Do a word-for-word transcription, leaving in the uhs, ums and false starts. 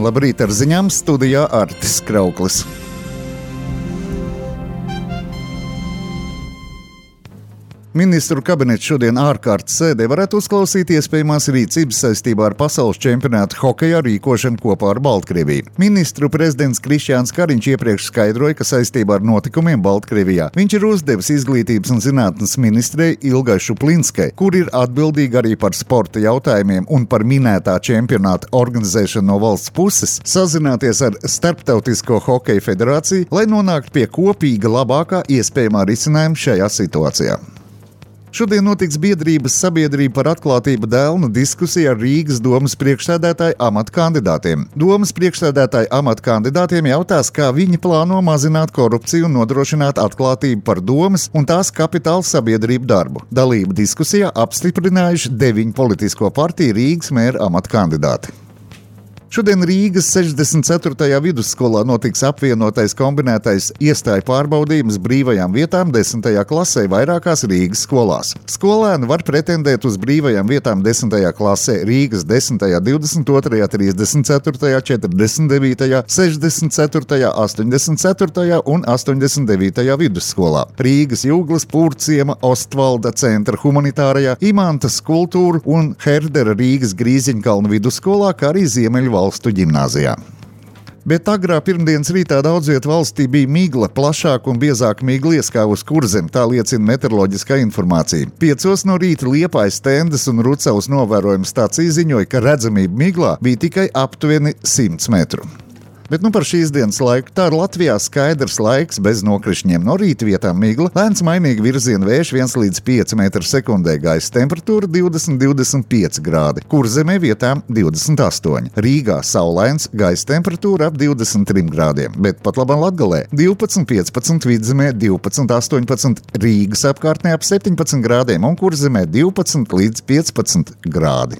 Labrīt ar ziņām, studijā Artis Krauklis. Ministru kabinets šodien ārkārtas sēdē varētu uzklausīt iespējamās rīcības saistībā ar pasaules čempionātu hokejā rīkošanu kopā ar Baltkrieviju. Ministru prezidents Krišjāns Kariņš iepriekš skaidroja, ka saistībā ar notikumiem Baltkrievijā viņš ir uzdevis izglītības un zinātnes ministrei Ilgai Šuplinskai, kur ir atbildīga arī par sporta jautājumiem un par minētā čempionāta organizēšanu no valsts puses, sazināties ar Starptautisko hokeja federāciju, lai nonāktu pie kopīga labākā iespējamā risinājuma šajā situācijā. Šodien notiks biedrības sabiedrība par atklātību dēlnu diskusija ar Rīgas domas priekšsēdētāju amata kandidātiem. Domas priekšsēdētāju amata kandidātiem jautās, kā viņi plāno mazināt korupciju un nodrošināt atklātību par domas un tās kapitāla sabiedrību darbu. Dalību diskusijā apstiprinājuši deviņu politisko partiju Rīgas mēra amata kandidāti. Šodien Rīgas sešdesmit ceturtajā vidusskolā notiks apvienotais kombinētais iestāju pārbaudījums brīvajām vietām desmitajā klasē vairākās Rīgas skolās. Skolēni var pretendēt uz brīvajām vietām desmitajā klasē Rīgas desmitajā, divdesmit otrajā, trīsdesmit ceturtajā, četrdesmit devītajā, sešdesmit ceturtajā, astoņdesmit ceturtajā un astoņdesmit devītajā vidusskolā, Rīgas Jūglas, Pūrciema, Ostvalda centra humanitārajā, Imantas kultūra un Herdera Rīgas Grīziņkalnu vidusskolā, kā arī Ziemeļvalstu valstu ģimnāzijā. Bet agrā pirmdienas rītā daudz viet valstī bija migla, plašāk un biezāk migla ieskāvusi Kurzemi, tā liecina meteoroloģiskā informācija. Piecos no rīta Liepājas, Stendes un Rucavas novērojuma stācija ziņoja, ka redzamība miglā bija tikai aptuveni simts metru. Bet nu par šīs dienas laiku. Tā ir Latvijā skaidrs laiks bez nokrišņiem. No rīta vietām migla, lēns mainīgi virziena vējš viens līdz pieci metri sekundē, gaisa temperatūra divdesmit līdz divdesmit pieci grādi, Kurzemē vietām divdesmit astoņi. Rīgā saulains, gaisa temperatūra ap divdesmit trim grādiem, bet pat labam Latgalē divpadsmit piecpadsmit, Vidzemē divpadsmit astoņpadsmit, Rīgas apkārtnē ap septiņpadsmit grādiem un Kurzemē divpadsmit līdz piecpadsmit grādi.